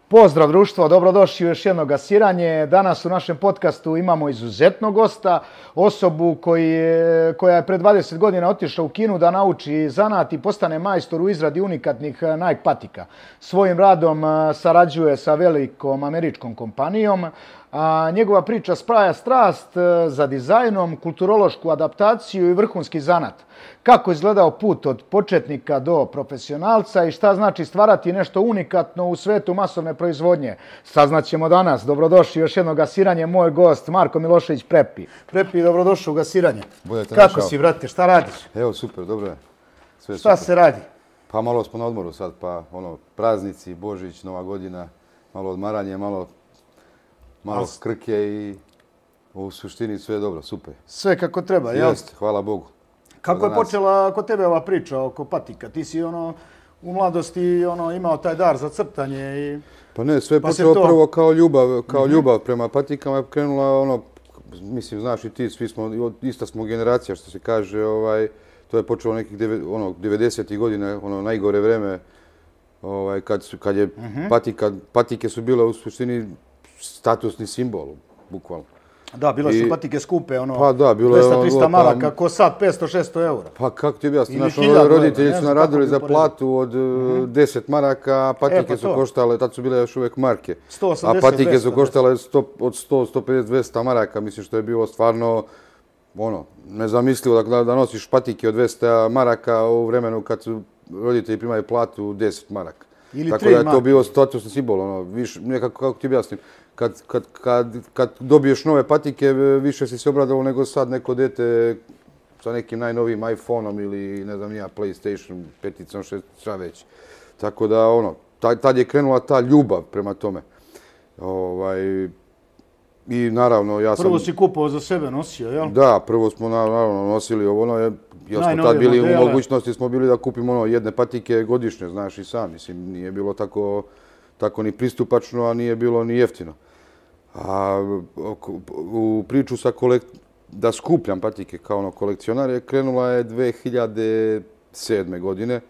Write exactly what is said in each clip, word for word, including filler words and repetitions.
Pozdrav društvo, dobrodošli u još jedno gasiranje. Danas u našem podcastu imamo izuzetnog gosta, osobu koji je, koja je pre dvadeset godina otišla u Kinu da nauči zanat i postane majstor u izradi unikatnih Nike patika. Svojim radom sarađuje sa velikom američkom kompanijom. A njegova priča spraja strast za dizajnom, kulturološku adaptaciju i vrhunski zanat. Kako je izgledao put od početnika do profesionalca i šta znači stvarati nešto unikatno u svetu masovne proizvodnje. Saznaćemo danas. Dobrodošli još jedno gasiranje. Moj gost Marko Milošević Prepi. Prepi, dobrodošao u gasiranje. Budete Kako našao. si, brate? Šta radiš? Evo, super, dobro je. Sve Šta super. se radi? Pa malo smo na odmoru sad, pa ono, praznici, Božić, Nova godina, malo odmaranje, malo, malo As- krke i u suštini sve je dobro, super. Sve kako treba, jel? Jeste, hvala Bogu. Kako je Za nas. počela kod tebe ova priča oko patika? Ti si ono u mladosti ono imao taj dar za crtanje i Pa ne, sve je Pa se počelo to- prvo kao ljubav, kao ljubav prema patikama je krenula ono, mislim, znaš i ti, svi smo, ista smo generacija što se kaže, ovaj, to je počelo nekih deve- ono, devedesetih godina, ono najgore vreme, ovaj, kad, su, kad je patika, patike su bile u suštini statusni simbol, bukvalno. da, bile su I- patike skupe, ono Pa da, bilo je dvesta ono, trista pa- maraka, ko sad petsto šesto eura. Pa kako ti objasnim, Ili znaš, ono, hiljadu roditelji evra, ne su znam naradili kako za bi uporedio. platu od uh, deset maraka, a patike E, pa su to. koštale, tad su bile još uvijek marke. sto A osamdeset, patike dvesta, su koštale sto, od sto, sto pedeset, dvesta maraka, mislim što je bilo stvarno, ono, nezamislivo da, da nosiš patike od dvesta maraka u vremenu kad su roditelji primaju platu deset maraka. Ili Tako tri da je to marke. bio statusni simbol, ono, više, nekako, kako ti objasnim, kad, kad, kad, kad dobiješ nove patike, više si se obradovao nego sad neko dete sa nekim najnovijim iPhone-om ili, ne znam, ja, PlayStation, peticom, šest, šta već. Tako da, ono, tad, tad je krenula ta ljubav prema tome. Ovaj, I naravno, ja sam... Prvo si kupovao za sebe, nosio, jel? Da, prvo smo naravno nosili ovo, ono, je- jer smo Najnovije tad bili modele. u mogućnosti, smo bili da kupimo ono jedne patike godišnje, znaš i sam, mislim, nije bilo tako, tako ni pristupačno, a nije bilo ni jeftino. A oko- u priču sa kolek... da skupljam patike kao ono kolekcionar je krenula je dve hiljade sedme godine.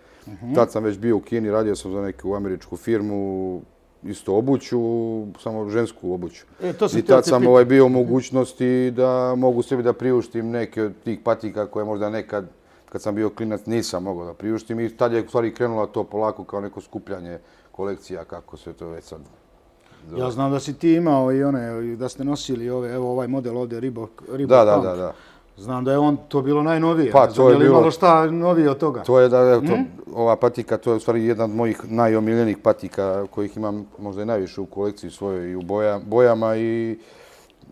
Tad sam već bio u Kini, radio sam za neku američku firmu, isto obuću, samo žensku obuću. E, to sam I htio tad te sam pitat. ovaj, bio u mogućnosti da mogu sebi da priuštim neke od tih patika koje možda nekad, kad sam bio klinac, nisam mogao da priuštim. I tad je u stvari krenula to polako kao neko skupljanje kolekcija, kako se to već sad zove. Ja znam da si ti imao i one, i da ste nosili ove, evo ovaj model ovdje, Reebok, Reebok Da, da, Punk. da, da. Znam da je on to bilo najnovije. Pa, Ne znam to je li bilo- imalo šta novije od toga. To je da, evo, to, ova patika, to je u stvari jedna od mojih najomiljenijih patika kojih imam možda i najviše u kolekciji svojoj i u boja, bojama i,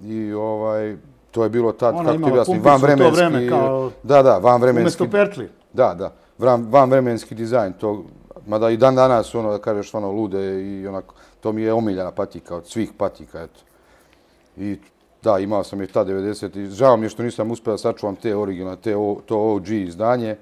i ovaj, to je bilo tad, Ona kako ti imala objasnim, pumpicu u to vanvremenski, vreme kao- da, da, vanvremenski, Umjesto pertli. da, da, van, vanvremenski dizajn, to, mada i dan danas, ono, da kažeš, ono, lude i onako, to mi je omiljena patika od svih patika, eto. I da, imao sam je ta devedeset i žao mi je što nisam uspio da sačuvam te originalne, te o, to O G izdanje.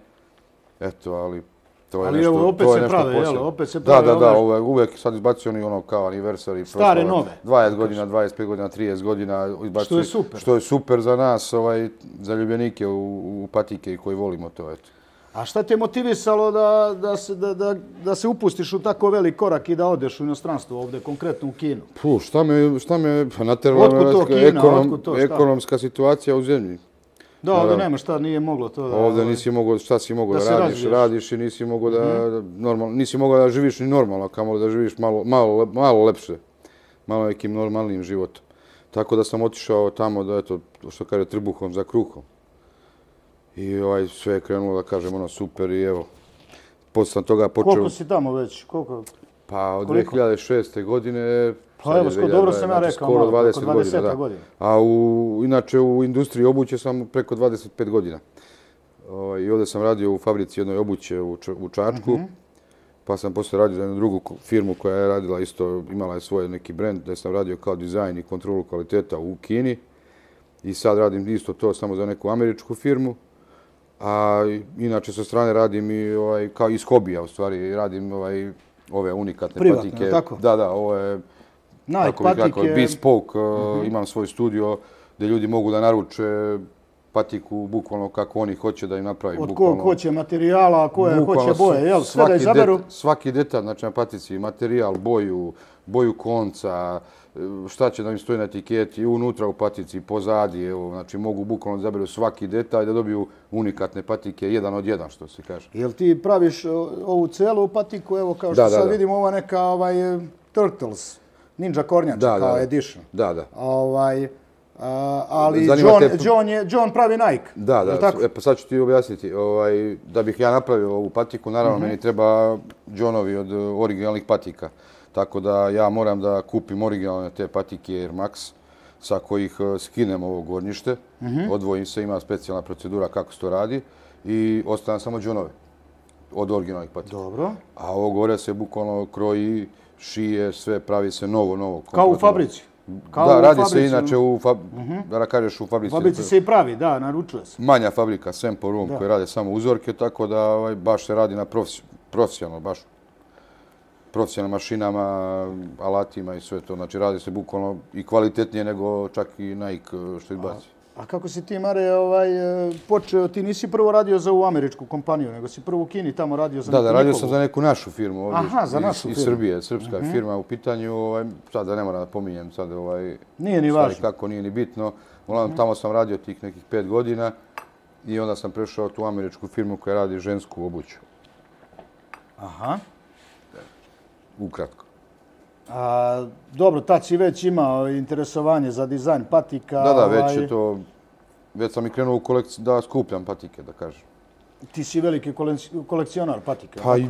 Eto, ali to je Ali nešto, evo, opet to je se nešto prave, jel? posebno. Opet se Da, prave da, da, ove- uvek, uvek sad izbacuju oni ono kao anniversary. Stare, proslava, nove. dvadeset godina, dvadeset pet godina, trideset godina. Izbacuju, Što je super. Što je super za nas, ovaj, za ljubljenike u, u patike i koji volimo to, eto. A šta te motivisalo da, da, se, da, da, da se upustiš u tako velik korak i da odeš u inostranstvo ovdje, konkretno u Kinu? Puh, šta me, šta me pa nateralo Otkud to Kina, ekonom, otkud to, šta? ekonomska situacija u zemlji. Da, ovdje Naravno. nema šta, nije moglo to da... Ovdje ovaj, nisi mogao, šta si mogao da da, se radiš, razviješ. radiš i nisi mogao da, da normalno, nisi mogao da živiš ni normalno, kamoli da živiš malo, malo, malo lepše, malo nekim normalnim životom. Tako da sam otišao tamo da, eto, što kaže, trbuhom za kruhom. I ovaj, sve je krenulo, da kažem, ono, super i evo, posle sam toga počeo, Koliko si tamo već? Koliko? pa od koliko? dve hiljade šeste. godine, Pa sad je evo, skoro, dve hiljade, dobro sam ja znači, rekao, skoro malo, dvadeset oko godina, da. dvadeset godina. A u, inače u industriji obuće sam preko dvadeset pet godina. O, I ovdje sam radio u fabrici jednoj obuće u, Č- u Čačku, pa sam posle radio za jednu drugu ko- firmu koja je radila isto, imala je svoj neki brend, da sam radio kao dizajn i kontrolu kvaliteta u Kini. I sad radim isto to samo za neku američku firmu. A inače sa strane radim i ovaj, kao iz hobija u stvari, radim ovaj, ove unikatne Privatno, patike. tako? Da, da, ovo je Nike kako bih rekao, patike... bespoke, uh, imam svoj studio gdje ljudi mogu da naruče patiku bukvalno kako oni hoće da im napravi. Od kog hoće materijala, koje hoće boje, jel? Sve da svaki izaberu? Det, svaki detalj, znači na patici, materijal, boju, boju konca, šta će da im stoji na etiketi, unutra u patici, pozadi, evo, znači mogu bukvalno da izaberu svaki detalj da dobiju unikatne patike, jedan od jedan, što se kaže. Jel ti praviš ovu celu patiku, evo kao što Da, da, sad da. vidimo, ova neka ovaj, Turtles, Ninja kornjača Da, kao da, da. edition. Da, da. Ovaj, a, ali Zanima John, te- John, je, John pravi Nike. Da, jel da, tako? e, pa sad ću ti objasniti. Ovaj, da bih ja napravio ovu patiku, naravno meni treba Johnovi od uh, originalnih patika. Tako da ja moram da kupim originalne te patike Air Max, sa kojih uh, skinem ovo gornjište, odvojim se, ima specijalna procedura kako se to radi i ostavljam samo Johnove od originalnih patika. Dobro. A ovo gore se bukvalno kroji, šije, sve pravi se novo, novo. Kao u kompletno. fabrici. Kao Da, u radi se fabrici, inače u, fab... da kažeš u U fabrici. fabrici se i pravi, da, naručuje se. Manja fabrika, Sempo Room, koji rade samo uzorke, tako da ovaj, baš se radi na profes... profesionalno, baš profesionalnim mašinama, alatima i sve to. Znači radi se bukvalno i kvalitetnije nego čak i Nike što izbaci. A kako si ti, Mare, ovaj, e, počeo, ti nisi prvo radio za ovu američku kompaniju, nego si prvo u Kini tamo radio za Da, neku da, radio njihovu. sam za neku našu firmu ovdje Aha, za iz, našu iz firmu. Srbije, srpska firma u pitanju. Ovaj, sad da ne moram da pominjem sad ovaj, Nije ni stvari važno. kako, nije ni bitno. Uglavnom, tamo sam radio tih nekih pet godina i onda sam prešao tu američku firmu koja radi žensku obuću. Aha. Ukratko. A, dobro, tad si već imao interesovanje za dizajn patika. Da, da, već ovaj, je to, već sam i krenuo u kolekci, da skupljam patike, da kažem. Ti si veliki kolec- kolekcionar patika. Pa, i-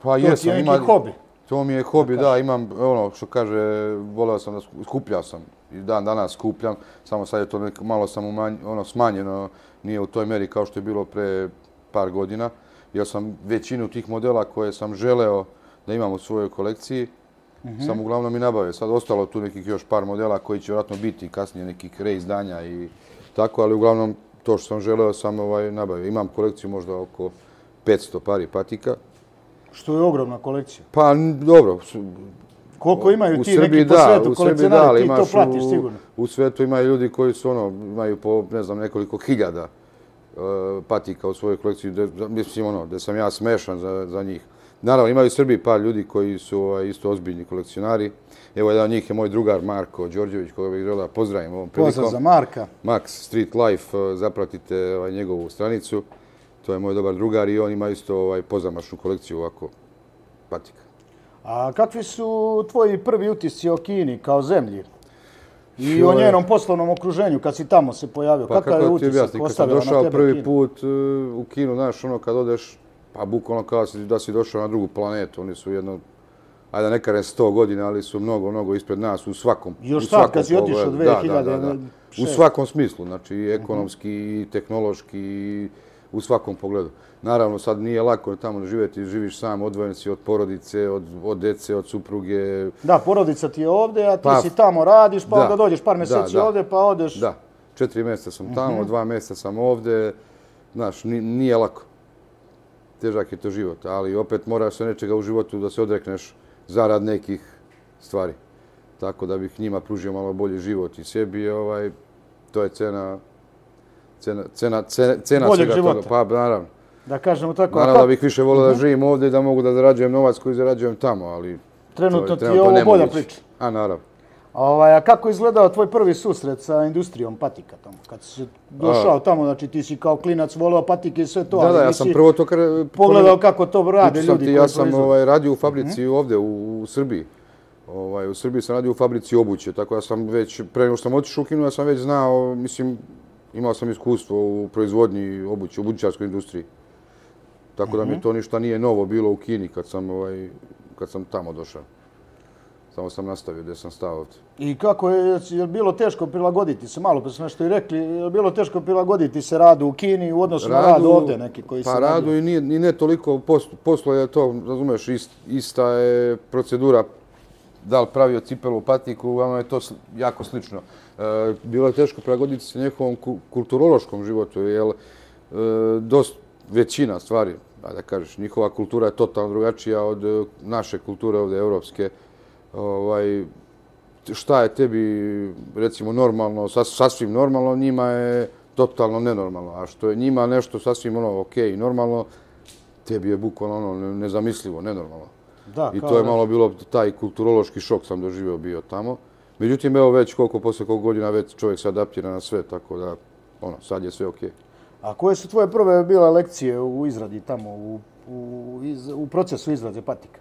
pa to ti jesam. je neki ima- hobi. To mi je hobi, da, imam, ono što kaže, voleo sam da sku- skupljao sam i dan danas skupljam, samo sad je to neko, malo sam umanj, ono, smanjeno, nije u toj meri kao što je bilo pre par godina, jer sam većinu tih modela koje sam želeo da imam u svojoj kolekciji, sam uglavnom i nabavio. Sad ostalo tu nekih još par modela koji će vjerojatno biti kasnije nekih reizdanja i tako, ali uglavnom to što sam želeo sam ovaj, nabavio. Imam kolekciju možda oko petsto pari patika. Što je ogromna kolekcija. Pa n- dobro, su- Koliko imaju u ti Srbiji neki po da, svetu u Srbiji da, kolekcionari, ali ti to imaš platiš u, sigurno. u svetu imaju ljudi koji su ono, imaju po, ne znam, nekoliko hiljada uh, patika u svojoj kolekciji, de, za- mislim ono, da sam ja smešan za, za njih. Naravno, imaju u Srbiji par ljudi koji su ovaj, isto ozbiljni kolekcionari. Evo, jedan od njih je moj drugar Marko Đorđević, koga bih želeo da pozdravim ovom prilikom. Pozdrav za Marka. Max Street Life, uh, zapratite ovaj, njegovu stranicu. To je moj dobar drugar i on ima isto ovaj, pozamašnu kolekciju ovako patika. A kakvi su tvoji prvi utisci o Kini kao zemlji? I Joj. o njenom poslovnom okruženju kad si tamo se pojavio? Pa Kakav je kako ti utisak objasnim, kad sam ostavila na došao tebe prvi Kina? put uh, u Kinu, znaš, ono kad odeš, pa bukvalno kao si- da si došao na drugu planetu, oni su jedno, ajde ne kažem sto godina, ali su mnogo, mnogo ispred nas u svakom, Još u sad, svakom kad si otišao pogledu. dve Da, hiljade da, da, da. U šest. svakom smislu, znači i ekonomski, i tehnološki, i u svakom pogledu. Naravno, sad nije lako tamo živjeti, živiš sam, odvojen si od porodice, od, od dece, od supruge. Da, porodica ti je ovdje, a ti Pa, si tamo radiš, pa da, onda dođeš par da, mjeseci da. ovdje, pa odeš. Da, četiri mjeseca sam tamo, dva mjeseca sam ovdje, znaš, ni- nije lako. Težak je to život, ali opet moraš se nečega u životu da se odrekneš zarad nekih stvari. Tako da bih njima pružio malo bolji život i sebi, ovaj, to je cena, cena, cena, cena, cena Boljeg svega života. toga. Pa, naravno. Da kažemo tako. a Naravno da kak- bih više volio da živim ovdje i da mogu da zarađujem novac koji zarađujem tamo, ali Trenutno to ti je ovo nemoguće. bolja priča. A, naravno. Ovaj, a kako je izgledao tvoj prvi susret sa industrijom patika tamo? Kad si došao tamo, znači ti si kao klinac voleo patike i sve to, Da, ali da, ja nisi sam prvo to... kar- pogledao kako to rade Pričao sam ljudi ti, koji ja sam proizvode. ovaj, radio u fabrici ovdje u, u Srbiji. Ovaj, u Srbiji sam radio u fabrici obuće, tako da sam već, pre nego što sam otišao u Kinu, ja sam već znao, mislim, imao sam iskustvo u proizvodnji obuće, u obućarskoj industriji. Tako da mi to ništa nije novo bilo u Kini kad sam, ovaj, kad sam tamo došao. Samo sam nastavio gdje sam stao ovdje. I kako je, je li bilo teško prilagoditi se, malo pa su nešto i rekli, je li bilo teško prilagoditi se radu u Kini u odnosu na rad ovdje neki koji se Pa radu i nije, i ne toliko, poslo, poslo je to, razumeš, ist, ista je procedura, da li pravio cipelu, patiku, uglavnom je to sl- jako slično. E, bilo je teško prilagoditi se njihovom ku- kulturološkom životu, jer e, dost, većina stvari, da kažeš, njihova kultura je totalno drugačija od e, naše kulture ovdje, evropske. Ovaj, šta je tebi, recimo, normalno, sas, sasvim normalno, njima je totalno nenormalno. A što je njima nešto sasvim ono ok i normalno, tebi je bukvalno ono nezamislivo, nenormalno. Da, I to je da. malo bilo taj kulturološki šok sam doživio bio tamo. Međutim, evo već koliko, posle koliko godina već čovjek se adaptira na sve, tako da ono, sad je sve ok. A koje su tvoje prve bile lekcije u izradi tamo, u, u, iz, u procesu izrade patika?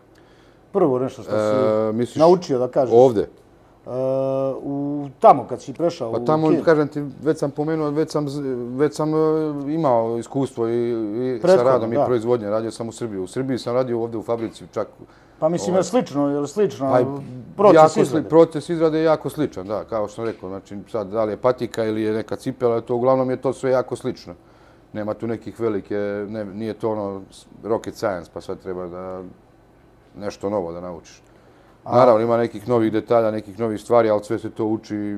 Prvo nešto što si E, misliš, naučio da kažeš. Ovde? Uh, u, tamo kad si prešao Pa u tamo, Kinu. kažem ti, već sam pomenuo, već sam, već sam uh, imao iskustvo i, i sa Prethodno, radom da. i proizvodnje. Radio sam u Srbiji. U Srbiji sam radio ovdje u fabrici čak. Pa mislim, je slično, je li slično Pa, proces jako, izrade? Proces izrade je jako sličan, da, kao što sam rekao. Znači, sad, da li je patika ili je neka cipela, to uglavnom je to sve jako slično. Nema tu nekih velike, ne, nije to ono rocket science, pa sad treba da nešto novo da naučiš. Naravno, ima nekih novih detalja, nekih novih stvari, ali sve se to uči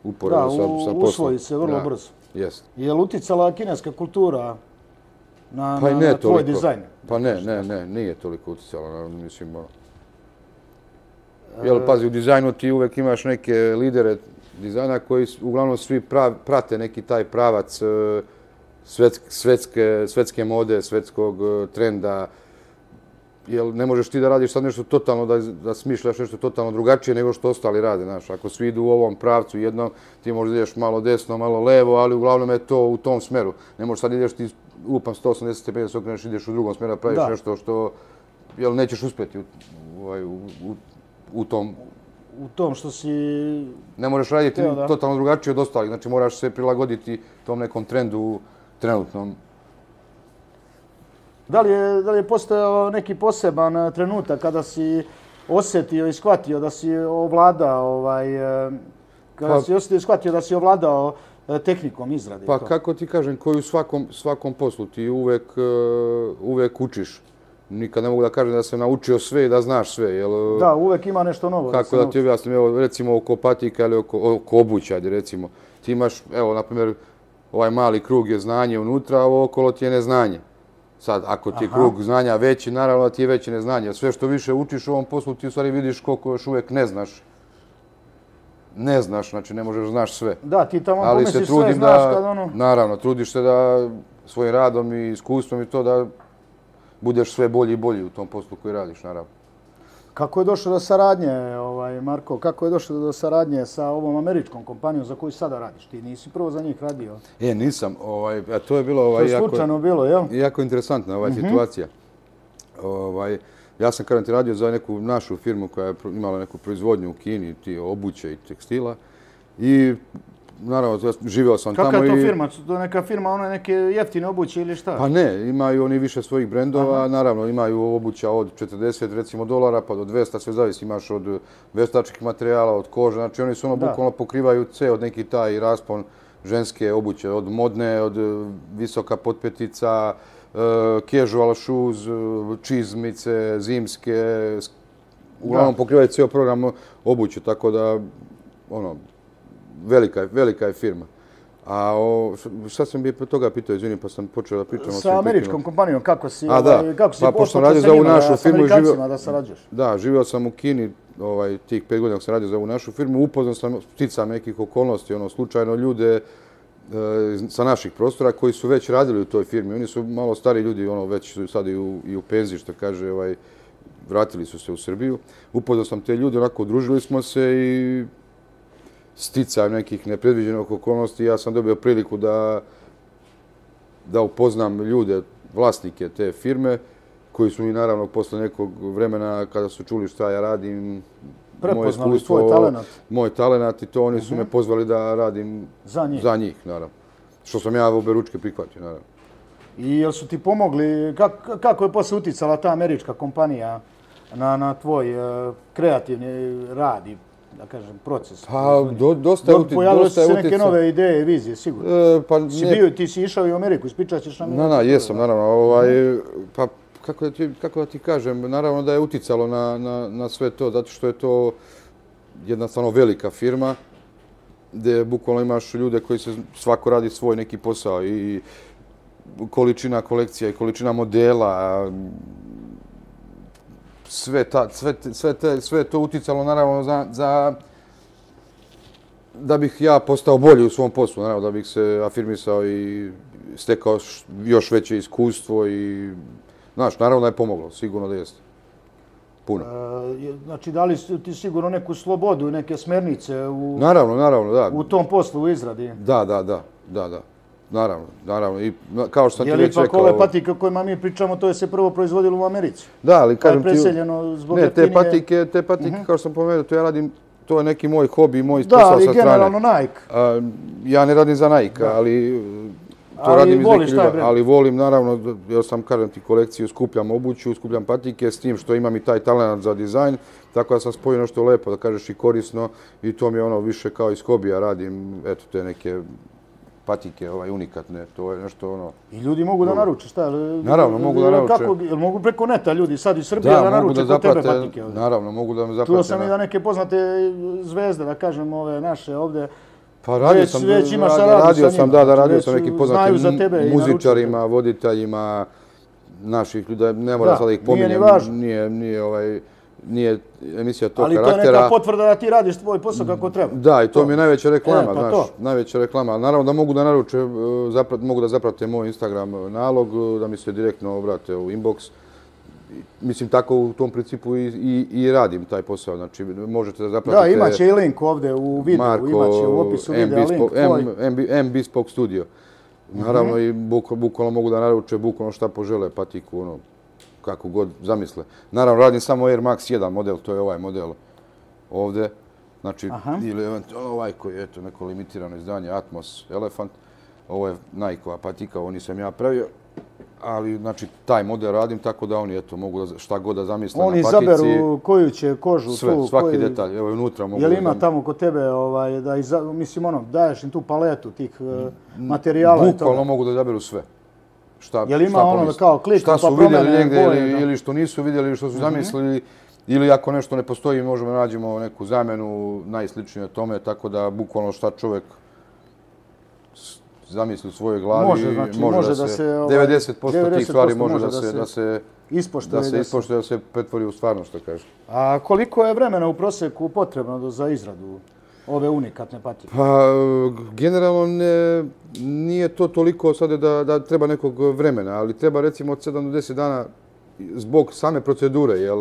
uporedo Da, sa, sa poslom. usvoji se vrlo Da, brzo. jest. Je li uticala kineska kultura na, Pa i na, ne na tvoj toliko. dizajn? Pa ne, ne, ne, nije toliko uticalo, na- mislim, ono. Jel, pazi, u dizajnu ti uvek imaš neke lidere dizajna koji s- uglavnom svi prav, prate neki taj pravac e, svetske, svetske, svetske mode, svetskog e, trenda. Jel, ne možeš ti da radiš sad nešto totalno, da, da smišljaš nešto totalno drugačije nego što ostali rade, znaš. Ako svi idu u ovom pravcu jednom, ti možda ideš malo desno, malo levo, ali uglavnom je to u tom smeru. Ne možeš sad ideš ti upam sto osamdeset stepeni da se okreneš, ideš u drugom smeru, praviš Da. nešto što, jel, nećeš uspjeti u, u, u, u, u tom. U tom što si... Ne možeš raditi Evo, da. totalno drugačije od ostalih, znači moraš se prilagoditi tom nekom trendu trenutnom. Da li je, da li je postojao neki poseban eh, trenutak kada si osjetio i shvatio da si ovladao, ovaj, eh, kada Pa- si osjetio i shvatio da si ovladao eh, tehnikom izrade? i Pa to? kako ti kažem, koji u svakom, svakom poslu ti uvek, e, uvek učiš. Nikad ne mogu da kažem da sam naučio sve i da znaš sve. Jel, Da, uvek ima nešto novo. kako se da nauči. ti objasnim, evo, recimo oko patika ili oko, oko obuća, ajde, recimo. Ti imaš, evo, na primjer, ovaj mali krug je znanje unutra, a ovo okolo ti je neznanje. Sad, ako ti je Aha. krug znanja veći, naravno da ti je veće neznanje. Sve što više učiš u ovom poslu, ti u stvari vidiš koliko još uvijek ne znaš. Ne znaš, znači ne možeš znaš sve. Da, ti tamo Ali se pomisliš sve, trudim znaš da, kad ono... naravno, trudiš se da svojim radom i iskustvom i to da budeš sve bolji i bolji u tom poslu koji radiš, naravno. Kako je došlo do saradnje, ovaj, Marko, kako je došlo do saradnje sa ovom američkom kompanijom za koju sada radiš? Ti nisi prvo za njih radio. E, nisam, ovaj, a to je bilo To ovaj, je jako, slučajno bilo, jel? jako interesantna ovaj, situacija. Ovaj, ja sam kažem ti radio za neku našu firmu koja je pro- imala neku proizvodnju u Kini, ti obuće i tekstila. I naravno, ja živio sam Kakva tamo je to i... firma? To neka firma, one neke jeftine obuće ili šta? Pa ne, imaju oni više svojih brendova, naravno imaju obuća od četrdeset recimo dolara pa do dvesta, sve zavisi, imaš od veštačkih materijala, od kože, znači oni su ono Da. bukvalno pokrivaju ceo neki taj raspon ženske obuće, od modne, od e, visoka potpetica, e, casual shoes, e, čizmice, zimske, sk- uglavnom Da. pokrivaju ceo program obuće, tako da, ono, velika, je- velika je firma. A o, šta sam bi pre toga pitao, izvini, pa sam počeo da pričam. ali sam Sa prekinuo. američkom kompanijom, kako si, A, da. ovaj, kako si Pa, pošto sam počeo radio sa za ovu njima, našu da, sa firmu i živio- Amerikancima da sarađuješ? Da, živio sam u Kini, ovaj, tih pet godina dok sam radio za ovu našu firmu, upoznao sam sticam nekih okolnosti, ono, slučajno ljude e, sa naših prostora koji su već radili u toj firmi. Oni su malo stari ljudi, ono, već su sad i u, i u penziji, što kaže, ovaj, vratili su se u Srbiju. Upoznao sam te ljude, onako, udružili smo se i sticajem nekih nepredviđenih okolnosti, ja sam dobio priliku da, da upoznam ljude, vlasnike te firme, koji su mi naravno posle nekog vremena, kada su čuli šta ja radim, moje Prepoznali iskustvo, tvoj talenat. moj talenat i to oni su me pozvali da radim Za njih. za njih, naravno. Što sam ja oberučke prihvatio, naravno. I jel su ti pomogli, kak, kako je posle uticala ta američka kompanija na, na tvoj uh, kreativni rad i, da kažem, proces? Pa, do, dosta je Dok uti- pojavile dosta su je se neke uticao. nove ideje i vizije, sigurno. E, pa Si ne, bio, ti si išao i u Ameriku, ispričat ćeš nam. Na, na, jesam, naravno. Ovaj, pa, kako da, ti, kako da ti kažem, naravno da je uticalo na, na, na sve to, zato što je to jedna stvarno velika firma, gdje bukvalno imaš ljude koji se svako radi svoj neki posao i količina kolekcija i količina modela, sve, ta, sve, sve, te, sve je to uticalo naravno za, za da bih ja postao bolji u svom poslu, naravno, da bih se afirmisao i stekao još veće iskustvo i, znaš, naravno da je pomoglo, sigurno da jeste. Puno. E, znači, dali ti sigurno neku slobodu i neke smernice u, naravno, naravno, da. u tom poslu, u izradi? Da, da, da, da, da. Naravno, naravno. I kao što sam ti već rekao... Je li ipak ove patike o kojima mi pričamo, to je se prvo proizvodilo u Americi? Da, ali kažem ti... Pa je preseljeno zbog ne, te jeftinije... patike, te patike, uh-huh. kao što sam pomenuo, to ja radim, to je neki moj hobi, moj posao sa strane. Da, ali generalno Nike. A, ja ne radim za Nike, da. ali... To ali radim iz voliš neke taj ali volim, naravno, ja sam, kažem ti, kolekciju, skupljam obuću, skupljam patike, s tim što imam i taj talent za dizajn, tako da sam spojio nešto lepo, da kažeš i korisno, i to mi je ono više kao iz hobija radim, eto, te neke patike, ovaj, unikatne, to je nešto ono... I ljudi mogu da naruče, šta? Naravno, mogu da naruče. Kako, jel mogu preko neta ljudi sad iz Srbije da, da naruče kod tebe patike? Ovdje? Naravno, mogu da me zaprate. Čuo sam i da neke poznate zvezde, da kažem, ove naše ovdje, pa radio već, sam, već ima radio, radio sam, da, da, radio sam neki poznatim muzičarima, voditeljima, naših ljudi, ne mora sada ih pominjem, nije, nije, ovaj, nije emisija tog ali karaktera. Ali to je neka potvrda da ti radiš tvoj posao kako treba. Da, i to, to. mi je najveća reklama, e, pa znaš, to. najveća reklama. Naravno da mogu da naruče, zaprat, mogu da zaprate moj Instagram nalog, da mi se direktno obrate u inbox. Mislim, tako u tom principu i, i, i radim taj posao. Znači, možete da zapratite... Da, imaće i link ovdje u videu, Marko, imaće u opisu videa link tvoj. M Bespoke Studio. Naravno, mm-hmm. i buk, bukvalno mogu da naruče bukvalno šta požele, patiku, ono, kako god zamisle. Naravno, radim samo Air Max jedan model, to je ovaj model ovdje. Znači, Aha. ili ovaj koji je, eto, neko limitirano izdanje, Atmos Elephant. Ovo je Nike-ova patika, ovo nisam ja pravio. Ali, znači, taj model radim tako da oni, eto, mogu da, šta god da zamisle oni na patici. Oni izaberu koju će kožu sve, tu. svaki koji... detalj, evo unutra mogu... Je li ima tamo kod tebe, ovaj, da iza... mislim, ono, daješ im tu paletu tih uh, materijala i bukvalno mogu da izaberu sve. Šta, je li ima šta ono da kao klik šta pa su promene vidjeli negdje boje, ili, da. ili što nisu vidjeli ili što su mm-hmm. zamislili. Ili ako nešto ne postoji, možemo nađemo neku zamenu najsličnije tome, tako da bukvalno šta čovjek zamisli u svojoj glavi, može, znači, može, može da, da se, se ovaj, devedeset posto tih stvari može da, da se, da se ispoštuje, da se, ispoštuje, da se pretvori u stvarno, što kažeš. A koliko je vremena u prosjeku potrebno za izradu ove unikatne patike? Pa, generalno ne, nije to toliko sada da, da treba nekog vremena, ali treba recimo od sedam do deset dana zbog same procedure, jel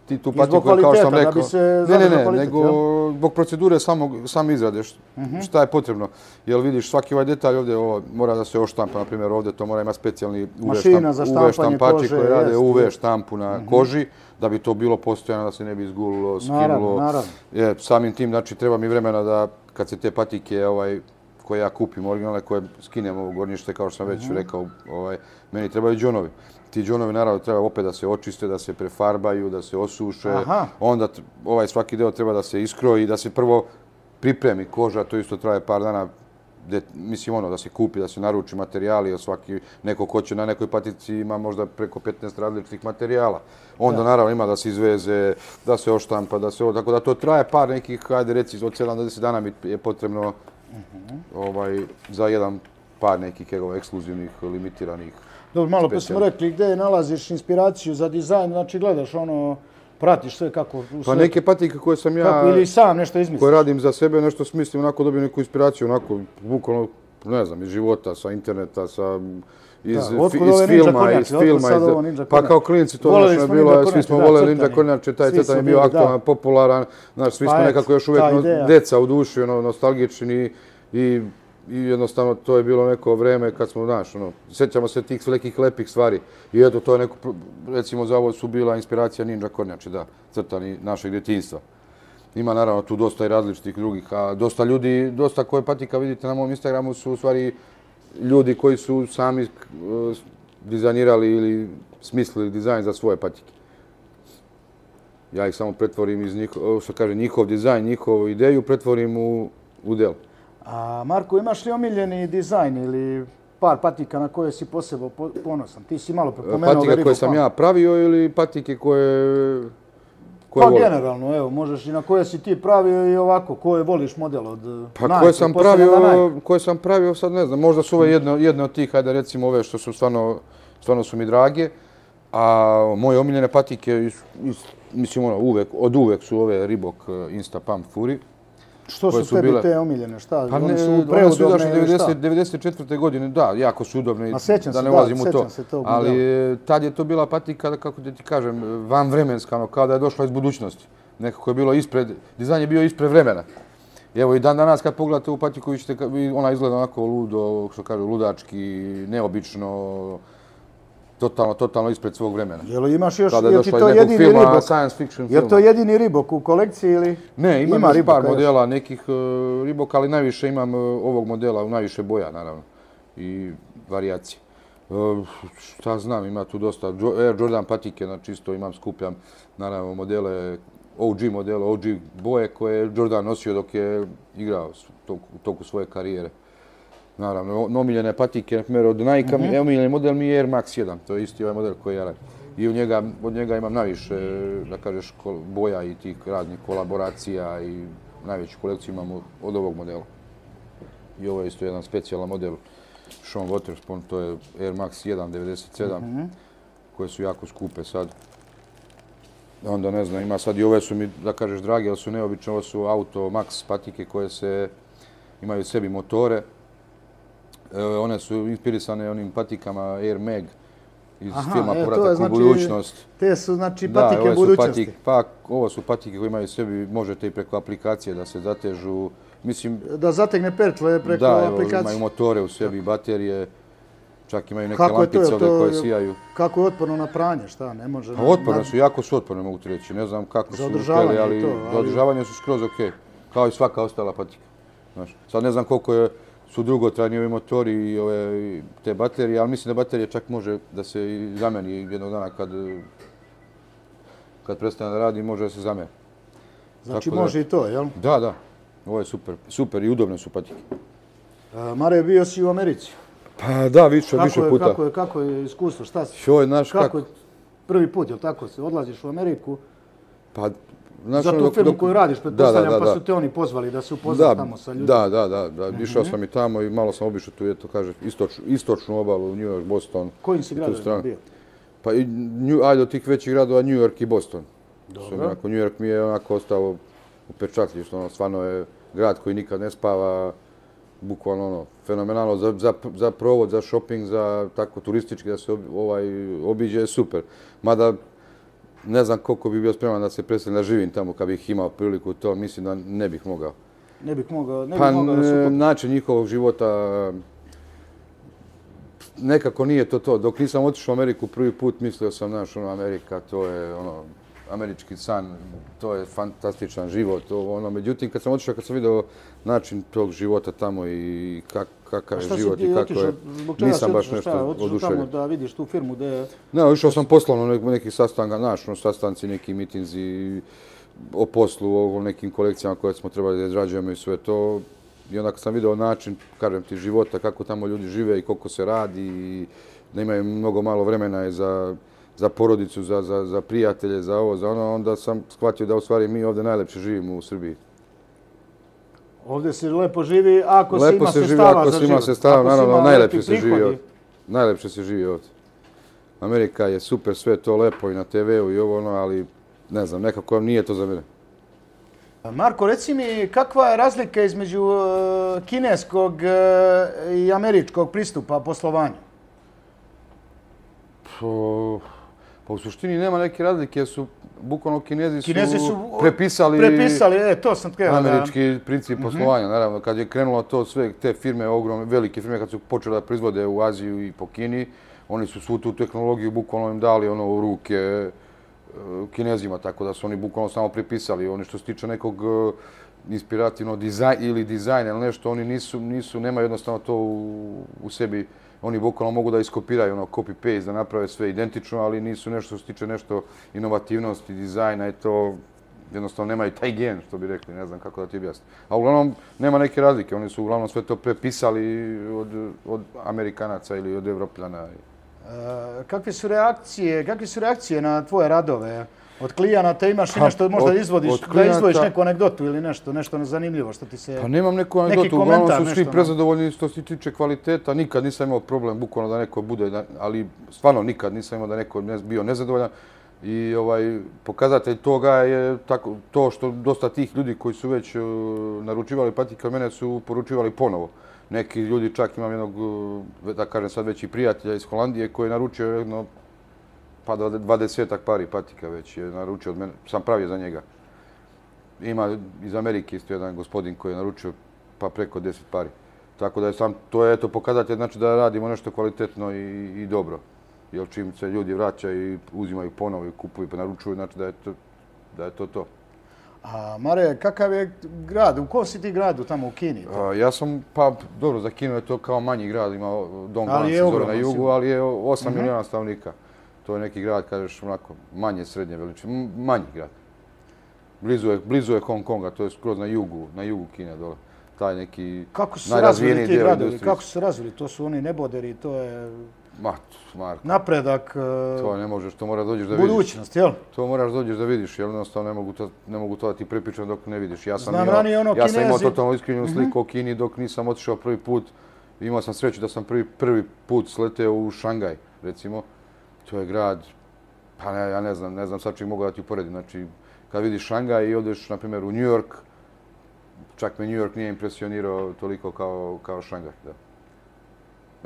ti tu patiku, kao što sam rekao, da bi se ne, ne, ne, kvalitet, nego jel? Zbog procedure samog, same izrade, uh-huh. šta je potrebno. Jel vidiš, svaki ovaj detalj ovdje ovo, mora da se oštampa, na primjer ovdje to mora imati specijalni U V, štamp, U V štampači koji rade U V štampu na uh-huh. koži, da bi to bilo postojano, da se ne bi izgulilo, skinulo. Naravno, naravno. Je, samim tim, znači, treba mi vremena da kad se te patike ovaj, koje ja kupim, originalne, koje skinem ovo gornjište, kao što sam već uh-huh. rekao, ovaj, meni trebaju džonovi. Ti džonovi naravno treba opet da se očiste, da se prefarbaju, da se osuše. Aha. Onda ovaj svaki deo treba da se iskroji, da se prvo pripremi koža, to isto traje par dana. De, mislim ono, da se kupi, da se naruči materijali, svaki neko ko će na nekoj patici ima možda preko petnaest različitih materijala. Onda da. naravno ima da se izveze, da se oštampa, da se ovo, tako da to traje par nekih, hajde reci, od sedam do deset dana mi je potrebno uh-huh. ovaj, za jedan par nekih evo, ekskluzivnih, limitiranih. Dobro, malo pa smo rekli gdje nalaziš inspiraciju za dizajn, znači gledaš ono, pratiš sve kako... Pa neke patike koje sam ja... Kako, ili sam nešto izmisliš? Koje radim za sebe, nešto smislim, onako dobijem neku inspiraciju, onako, bukvalno, ne znam, iz života, sa interneta, sa... Iz, da, fi, iz filma, iz filma, iz, pa kao klinci to našo je bilo, svi smo voleli Ninja Kornjače, taj crtan je bio aktualan, popularan, znaš, svi smo nekako još uvijek deca u duši, ono, nostalgični i I jednostavno to je bilo neko vreme kad smo, znaš, ono, sjećamo se tih nekih lepih stvari. I eto, to je neko, recimo za ovo su bila inspiracija Ninja Kornjače, da, crtani našeg djetinjstva. Ima naravno tu dosta i različitih drugih, a dosta ljudi, dosta koje patika vidite na mom Instagramu su u stvari ljudi koji su sami uh, dizajnirali ili smislili dizajn za svoje patike. Ja ih samo pretvorim iz njihov, što kaže, njihov dizajn, njihovu ideju, pretvorim u, u delo. A Marko, imaš li omiljeni dizajn ili par patika na koje si posebno ponosan? Ti si malo prepomenuo patike Verigo koje sam ja pravio ili patike koje, koje pa volim? Generalno, evo, možeš i na koje si ti pravio i ovako, koje voliš model od pa Nike? Koje sam pravio, koje sam pravio, sad ne znam, možda su ove jedne, jedne od tih, hajde recimo ove što su stvarno, stvarno su mi drage, a moje omiljene patike, is, is, mislim ono, uvek, od uvek su ove Reebok Insta Pump Fury. Što su, su tebi bile... te omiljene? Šta? Pa one ne, su preudobne ili šta? devedeset četvrte godine, da, jako su udobne, da se, ne ulazim da, u to. to ali tad je to bila patika, kako da ti kažem, vanvremenska, ono, kao da je došla iz budućnosti. Nekako je bilo ispred, dizajn je bio ispred vremena. I evo i dan danas kad pogledate u patiku, ona izgleda onako ludo, što kažu, ludački, neobično, totalno, totalno ispred svog vremena. Jel imaš još, je ti to jedini filma, ribok? Science fiction je to jedini ribok u kolekciji ili? Ne, imam ima još par modela nekih uh, riboka, ali najviše imam uh, ovog modela, najviše boja, naravno, i varijacije. Uh, šta znam, ima tu dosta, Air Jordan patike, znači isto imam, skupljam, naravno, modele, O G modele, O G boje koje je Jordan nosio dok je igrao u toku svoje karijere. Naravno, omiljene patike, na primjer, od Nike-a, mm-hmm. omiljeni model mi je Air Max jedan, to je isti ovaj model koji ja radim. I u njega, od njega imam najviše, da kažeš, boja i tih raznih kolaboracija i najveću kolekciju imam od ovog modela. I ovo je isto jedan specijalan model Sean Waterspoon, to je Air Max jedan devedeset sedam, mm-hmm. koje su jako skupe sad. Onda ne znam, ima sad i ove su mi, da kažeš, drage, ali su neobične, ovo su Auto Max patike koje se imaju u sebi motore. E, one su inspirisane onim patikama Air Mag iz Aha, filma e, Povratak znači, u budućnost. Te su znači patike da, budućnosti. Patik, pa, ovo su patike koje imaju u sebi, možete i preko aplikacije da se zatežu. Mislim, da zategne perčle preko da, aplikacije. Da, imaju motore u sebi, baterije. Čak imaju neke lampice ovdje koje sijaju. Kako je otporno na pranje, šta, ne može... Pa otporne su, jako su otporne, mogu ti reći. Ne znam kako su uspjeli, ali za održavanje su skroz okej. Kao i svaka ostala patika. Znaš, sad ne znam koliko je, su dugotrajni ovi motori i ove, te baterije, ali mislim da baterije čak može da se i zameni jednog dana kad, kad prestane da radi, može da se zameni. Znači Tako može da, i to, jel? Da, da. Ovo je super. Super i udobne su patike. A, Mare, bio si u Americi? Pa da, više, kako više je, puta. Kako je, kako je iskustvo? Šta si? Šo je, naš, kako, kako je prvi put, jel tako se? Odlaziš u Ameriku? Pa, znaš, za tu dok, firmu dok, koju radiš, pretpostavljam, da, da, da, pa su te oni pozvali da se upoznat tamo sa ljudima. Da, da, da, da. Mm-hmm. Išao sam i tamo i malo sam obišao tu, eto, kaže, istoč, istočnu obalu, New York, Boston. Kojim si gradovima bio? Pa, i, New, ajde, od tih većih gradova, New York i Boston. Dobro. Onako, New York mi je onako ostao upečatljiv, ono, stvarno je grad koji nikad ne spava, bukvalno ono, fenomenalno za, za, za provod, za shopping, za tako turistički da se ob, ovaj, obiđe je super. Mada ne znam koliko bi bio spreman da se predstavim da živim tamo kad bih imao priliku to, mislim da ne bih mogao. Ne bih mogao, ne pa, bih mogao da su... način njihovog života nekako nije to to. Dok nisam otišao u Ameriku prvi put, mislio sam, znaš, ono, Amerika, to je ono, američki san, to je fantastičan život. Ono, međutim, kad sam otišao, kad sam vidio način tog života tamo i kak, kakav je život i kako je, nisam baš nešto oduševljen. Otišao tamo da vidiš tu firmu gdje... Ne, išao sam poslovno neki, neki sastanka, naš, no, sastanci, neki mitinzi o poslu, o nekim kolekcijama koje smo trebali da izrađujemo i sve to. I onda kad sam vidio način, kažem ti, života, kako tamo ljudi žive i koliko se radi i da imaju mnogo malo vremena za, za porodicu, za, za, za prijatelje, za ovo, za ono, onda sam shvatio da u stvari mi ovdje najlepše živimo u Srbiji. Ovdje se lepo živi ako se lepo ima se sestava živi, za život. Ako se ima sestava, naravno, najlepše se živi ovdje. Najlepše se živi ovdje. Amerika je super, sve to lepo i na te veu i ovo ono, ali ne znam, nekako nije to za mene. Marko, reci mi, kakva je razlika između uh, kineskog uh, i američkog pristupa poslovanju? Po, pa u suštini nema neke razlike, jer su bukvalno Kinezi, Kinezi su, su prepisali, prepisali e, to sam tkeo, američki da. princip poslovanja. Mm-hmm. Naravno, kad je krenulo to sve, te firme, ogromne, velike firme, kad su počele da proizvode u Aziju i po Kini, oni su svu tu tehnologiju bukvalno im dali ono u ruke Kinezima, tako da su oni bukvalno samo prepisali. Oni što se tiče nekog inspirativnog dizajna ili dizajna ili nešto, oni nisu, nisu, nemaju jednostavno to u, u sebi. Oni bukvalno mogu da iskopiraju ono copy-paste, da naprave sve identično, ali nisu nešto što se tiče nešto inovativnosti, dizajna i to jednostavno nemaju taj gen, što bi rekli, ne znam kako da ti objasnim. A uglavnom nema neke razlike, oni su uglavnom sve to prepisali od, od Amerikanaca ili od Evropljana. E, kakve su reakcije, kakve su reakcije na tvoje radove? Od klijenata imaš i nešto možda od, izvodiš, od klijenta, da izdvojiš neku anegdotu ili nešto, nešto zanimljivo što ti se... Pa nemam neku anegdotu, uglavnom su svi prezadovoljni što se tiče kvaliteta. Nikad nisam imao problem, bukvalno da neko bude, ali stvarno nikad nisam imao da neko ne, bio nezadovoljan. I ovaj, pokazatelj toga je tako, to što dosta tih ljudi koji su već uh, naručivali patike od mene su poručivali ponovo. Neki ljudi, čak imam jednog, da kažem sad već i prijatelja iz Holandije koji je naručio jedno, pa dvadesetak pari patika već je naručio od mene, sam pravio za njega. Ima iz Amerike isto jedan gospodin koji je naručio pa preko deset pari. Tako da je sam, to je eto pokazatelj, znači da radimo nešto kvalitetno i, i dobro. Jer čim se ljudi vraćaju i uzimaju ponovo i kupuju pa naručuju, znači da je to da je to. to. A Mare, kakav je grad? U kom si ti gradu tamo u Kini? A, ja sam, pa dobro, za Kinu je to kao manji grad, ima Dongguan se zove na jugu, ali je osam uh-huh. milijuna stanovnika. To je neki grad, kažeš, onako, manje srednje veličine, manji grad. Blizu je, blizu je Hong Konga, to je skroz na jugu, na jugu Kine dole. Taj neki kako su se razvili ti gradovi? Kako su se razvili? To su oni neboderi, to je Ma, Marko. Napredak. To ne možeš, to moraš dođeš da vidiš. Budućnost, jel? To moraš dođeš da vidiš, jer jednostavno ne mogu to, ne mogu to da ti pripričam dok ne vidiš. Ja sam Znam, imao, ranije ono ja Kinezi... sam imao totalno iskrivljenu sliku mm-hmm. o Kini dok nisam otišao prvi put. Imao sam sreću da sam prvi, prvi put sleteo u Šangaj, recimo. To je grad, pa ne, ja ne znam, ne znam sad čim mogu da ti uporedim. Znači, kad vidiš Šangaj i odeš, na primjer, u New York, čak me New York nije impresionirao toliko kao, kao Šangaj. Da.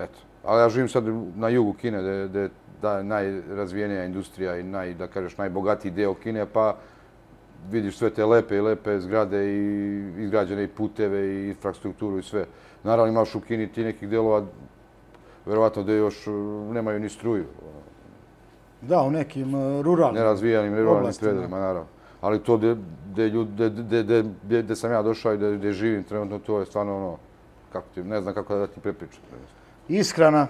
Eto. Ali ja živim sad na jugu Kine, gdje je da, najrazvijenija industrija i naj, da kažeš, najbogatiji deo Kine, pa vidiš sve te lepe i lepe zgrade i izgrađene i puteve i infrastrukturu i sve. Naravno imaš u Kini ti nekih delova, verovatno gdje još nemaju ni struju. Da, u nekim ruralnim nerazvijenim, ruralnim predelima, naravno. Ali to gdje sam ja došao i gdje živim trenutno, to je stvarno ono, kako ti, ne znam kako da ti prepričam. Ishrana,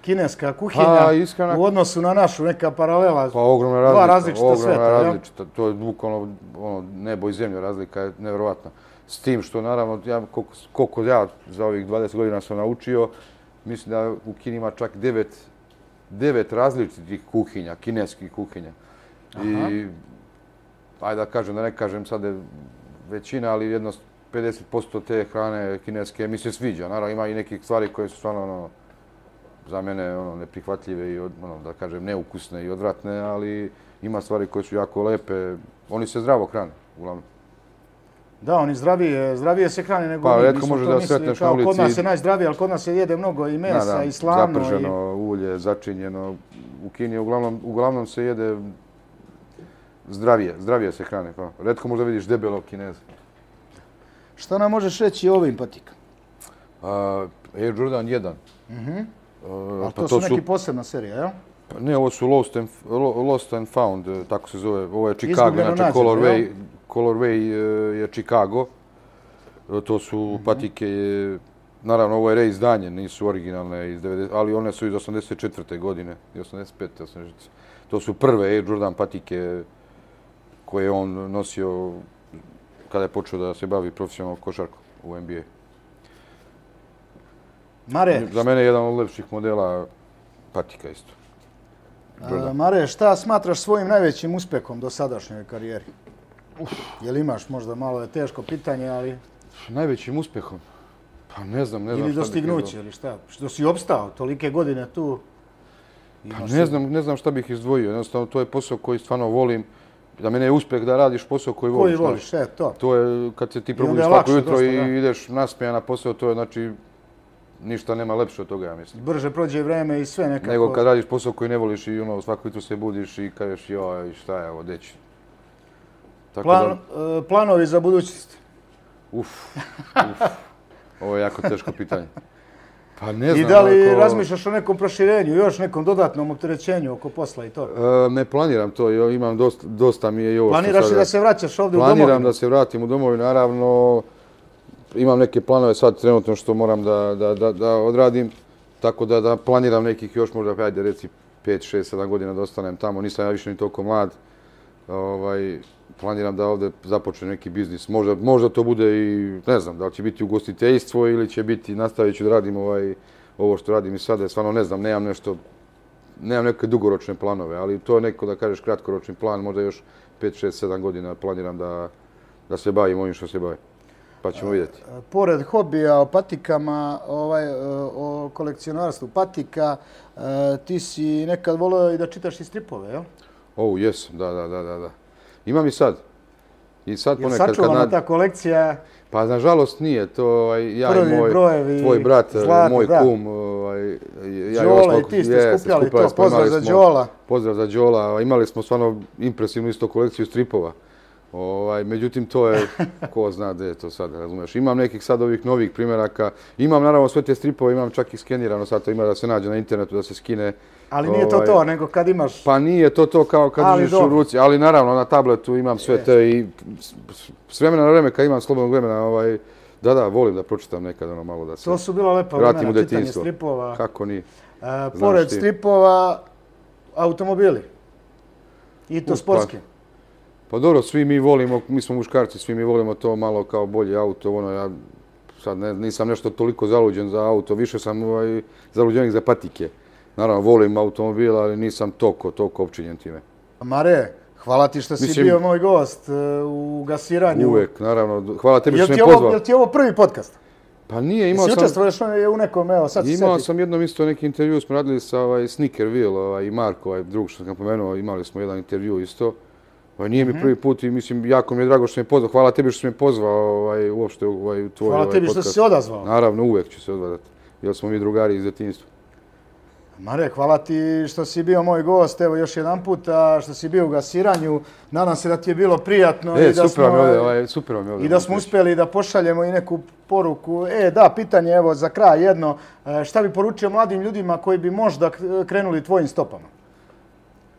kineska kuhinja, pa, ishrana... u odnosu na našu, neka paralela, pa, ogromna razlika, dva različita ogromna sveta. Različita. To je bukvalno ono, nebo i zemlja, razlika je nevjerovatna. S tim što, naravno, ja, koliko, koliko ja za ovih dvadeset godina sam naučio, mislim da u Kini ima čak devet, devet različitih kuhinja, kineskih kuhinja. Aha. I, ajde da kažem, da ne kažem sad je većina, ali jedno pedeset posto te hrane kineske mi se sviđa. Naravno, ima i nekih stvari koje su stvarno ono, za mene ono, neprihvatljive i ono, da kažem neukusne i odvratne, ali ima stvari koje su jako lepe. Oni se zdravo hrane, uglavnom. Da, oni zdravije, zdravije se hrane nego pa, mi. Redko može da sretneš na ulici. Kod nas je najzdravije, ali kod nas se jede mnogo i mesa, da, da, i slano. Zaprženo i... ulje, začinjeno. U Kini uglavnom, uglavnom se jede zdravije, zdravije se hrane. Pa. Redko možda vidiš debelog Kineza. Šta nam možeš reći o ovim patikama? Uh, Air Jordan jedan. Mhm. Uh, Ali pa to, to su neki posebna serija, jel? Pa ne, ovo su Lost and, Lost and Found, tako se zove. Ovo je Chicago, znači Colorway, Colorway je Chicago. To su mm-hmm. patike, naravno ovo je reizdanje, nisu originalne, iz devedeset, ali one su iz osamdeset četvrte godine, i osamdeset pete. osamdeset šeste. To su prve Air Jordan patike koje on nosio kada je počeo da se bavi profesionalnom košarkom u N B A. Mare, za mene je jedan od lepših modela patika isto. A, Mare, šta smatraš svojim najvećim uspehom do sadašnjoj karijeri? Uf, jel imaš možda malo je teško pitanje, ali... Najvećim uspehom? Pa ne znam, ne znam. Ili dostignuće, ili šta? Što si opstao tolike godine tu? Pa ne znam, ne znam šta bih izdvojio. Jednostavno, to je posao koji stvarno volim. Za mene je uspeh da radiš posao koji voliš. Koji voliš, e, to. To je kad se ti probudiš svako jutro i da. ideš nasmejan na posao, to je znači ništa nema lepše od toga, ja mislim. Brže prođe vreme i sve nekako. Nego kad radiš posao koji ne voliš i ono, svako jutro se budiš i kažeš joj, šta je ovo, deći. Tako Plan, da... uh, planovi za budućnost? Uf, uf. Ovo je jako teško pitanje. Pa ne znam. I da li ako... razmišljaš o nekom proširenju, još nekom dodatnom opterećenju oko posla i to? E, ne planiram to, jo, imam dosta, dosta mi je i ovo što Planiraš sada... i da se vraćaš ovdje u domovinu? Planiram da se vratim u domovinu, naravno. Imam neke planove sad trenutno što moram da, da, da, da odradim. Tako da, da planiram nekih još možda, ajde reci, pet, šest, sedam godina da ostanem tamo. Nisam ja više ni toliko mlad. Ovaj, planiram da ovdje započnem neki biznis. Možda, možda to bude i, ne znam, da li će biti ugostiteljstvo ili će biti, nastavit ću da radim ovaj, ovo što radim i sada. Stvarno ne znam, nemam nešto, nemam neke dugoročne planove, ali to je neko, da kažeš, kratkoročni plan. Možda još pet, šest, sedam godina planiram da, da se bavim ovim što se bavim. Pa ćemo vidjeti. Pored hobija o patikama, ovaj, o kolekcionarstvu patika, ti si nekad volio i da čitaš i stripove, jel? O, jesam, da, da, da, da. Imam i sad. I sad je ponekad sačuvana kad... ta kolekcija? Pa, nažalost, nije. To ovaj, ja Prvi i moj, brojevi, tvoj brat, zlata, moj da. kum, ovaj, ja Đola i ti ste je, skupljali skupljali to, smo, pozdrav imali za smo- Đola. Pozdrav za Đola. Imali smo stvarno impresivnu isto kolekciju stripova. Ovaj, međutim, to je, ko zna gdje je to sad, razumiješ. Imam nekih sad ovih novih primjeraka. Imam naravno sve te stripove, imam čak i skenirano, sad to ima da se nađe na internetu, da se skine. Ali nije to ovaj, to, nego kad imaš... Pa nije to to kao kad Ali držiš u dobro. ruci, ali naravno na tabletu imam sve te i s- s- s vremena na vreme kad imam slobodnog vremena, ovaj, da, da, volim da pročitam nekad ono malo da se To su bila lepa vratim u vremena, čitanje detinjstvo. stripova. Kako nije? E, pored ti. stripova, automobili. I to U, sportski. Pa dobro, svi mi volimo, mi smo muškarci, svi mi volimo to malo kao bolje auto, ono ja sad ne, nisam nešto toliko zaluđen za auto, više sam ovaj, zaluđenik za patike. Naravno, volim automobil, ali nisam toliko, toliko opčinjen time. Mare, hvala ti što si Mislim- bio moj gost e, u gasiranju. Uvek, naravno, hvala tebi Jel što si ti, me ovo, pozvao. jel ti ovo prvi podcast? Pa nije, imao Jesi sam... učestvuješ u nekom, evo sad se Imao sjeti. sam jednom isto neki intervju, smo radili sa ovaj, Snickerville ovaj, i Marko, ovaj, drug što sam pomenuo, imali smo jedan intervju isto. Ovaj, nije Mhm. mi prvi put i mislim, jako mi je drago što si me pozvao. Hvala tebi što si me pozvao ovaj, uopšte ovaj, u tvoj Hvala ovaj, tebi što podcast. si se odazvao. Naravno, uvek ću se odvadati, jer smo mi drugari iz djetinjstva. Mare, hvala ti što si bio moj gost, evo još jedan puta, što si bio u gasiranju. Nadam se da ti je bilo prijatno E, i da super vam smo, je ovdje, ovaj, super vam je ovdje. i da smo uspjeli da pošaljemo i neku poruku. E, da, pitanje evo za kraj jedno. E, Šta bi poručio mladim ljudima koji bi možda krenuli tvojim stopama?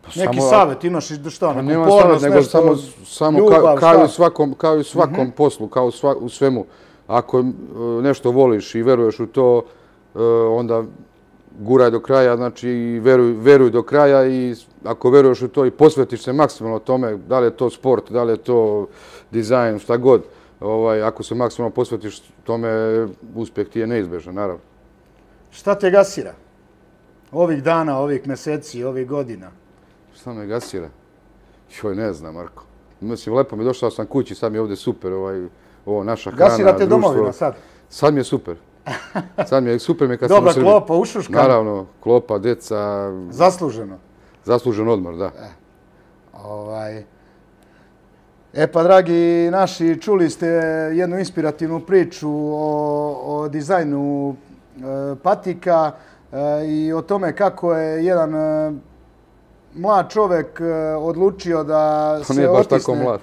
Neki samo- savjet imaš i šta, Pa neku nema upornost, savjet, nego nešto, samo, samo ljubav, kao, kao, i šta? u svakom, kao i u svakom poslu, kao u, sva, u svemu. Ako e, nešto voliš i veruješ u to, e, onda guraj do kraja, znači i veruj, veruj do kraja i ako veruješ u to i posvetiš se maksimalno tome, da li je to sport, da li je to dizajn, šta god, ovaj, ako se maksimalno posvetiš tome, uspjeh ti je neizbežan, naravno. Šta te gasira? Ovih dana, ovih mjeseci, ovih godina. Šta me gasira? Joj, ne znam, Marko. Mislim, lepo mi je, došao sam kući, sad mi je ovdje super, ovaj, ovo, naša hrana, Gasira te društvo. domovina sad. Sad mi je super. Sad mi je super mi je kad sam u Dobra Srbiji. klopa, ušuškana. Naravno, klopa, deca, Zasluženo. zaslužen odmor, da. Ovaj... E pa, dragi naši, čuli ste jednu inspirativnu priču o, o dizajnu e, patika e, i o tome kako je jedan e, mlad čovjek e, odlučio da On se nije baš otisne. tako mlad.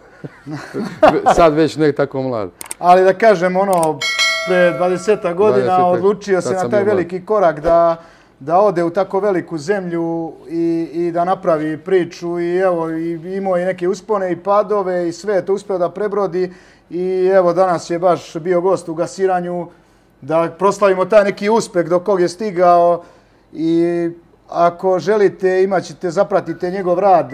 Sad već ne tako mlad. Ali da kažem, ono, pre dvadeset godina dvadesetak, odlučio se tad na sam taj bio mlad. veliki korak da, da ode u tako veliku zemlju i, i da napravi priču i evo, i imao je neke uspone i padove i sve je to uspio da prebrodi i evo danas je baš bio gost u gasiranju da proslavimo taj neki uspeh do kog je stigao i ako želite imat ćete, zapratite njegov rad.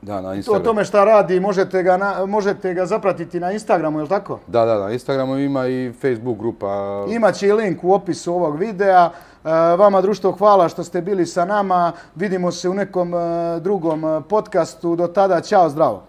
Da, na O Instagramu. tome šta radi možete ga, na, možete ga zapratiti na Instagramu, je li tako? Da, da, na Instagramu ima i Facebook grupa. Imaće i link u opisu ovog videa. E, Vama, društvo, hvala što ste bili sa nama. Vidimo se u nekom e, drugom podcastu. Do tada, ćao, zdravo.